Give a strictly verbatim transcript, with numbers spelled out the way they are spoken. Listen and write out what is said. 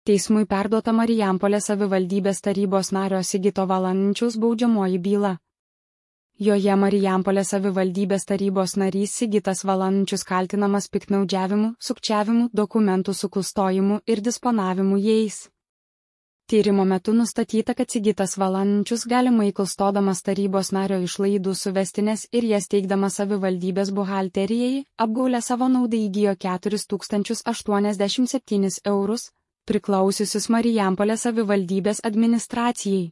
Teismui perduota Marijampolės savivaldybės tarybos nario Sigito Valančiaus baudžiamoji byla. Joje Marijampolės savivaldybės tarybos narys Sigitas Valančius kaltinamas piktnaudžiavimu, sukčiavimu, dokumentų suklastojimu ir disponavimu jais. Tyrimo metu nustatyta, kad Sigitas Valančius galimai klastodamas tarybos nario išlaidų suvestinės ir jas teikdamas savivaldybės buhalterijai, apgaulę savo naudai įgijo keturis tūkstančius aštuoniasdešimt septynis eurus, priklausiusius Marijampolės savivaldybės administracijai.